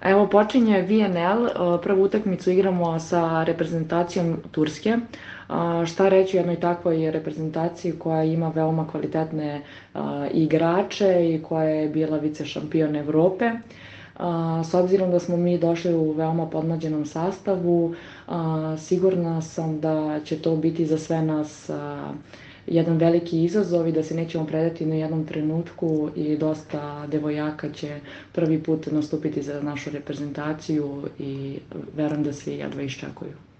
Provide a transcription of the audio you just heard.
Evo počinje VNL, prvu utakmicu igramo sa reprezentacijom Turske. Šta reći o jednoj takvoj reprezentaciji koja ima veoma kvalitetne igrače i koja je bila vice šampion Evrope. S obzirom da smo mi došli u veoma podmlađenom sastavu, sigurna sam da će to biti za sve nas jedan veliki izazov i da se nećemo predati na jednom trenutku i dosta devojaka će prvi put nastupiti za našu reprezentaciju i verujem da svi jedva iščekuju.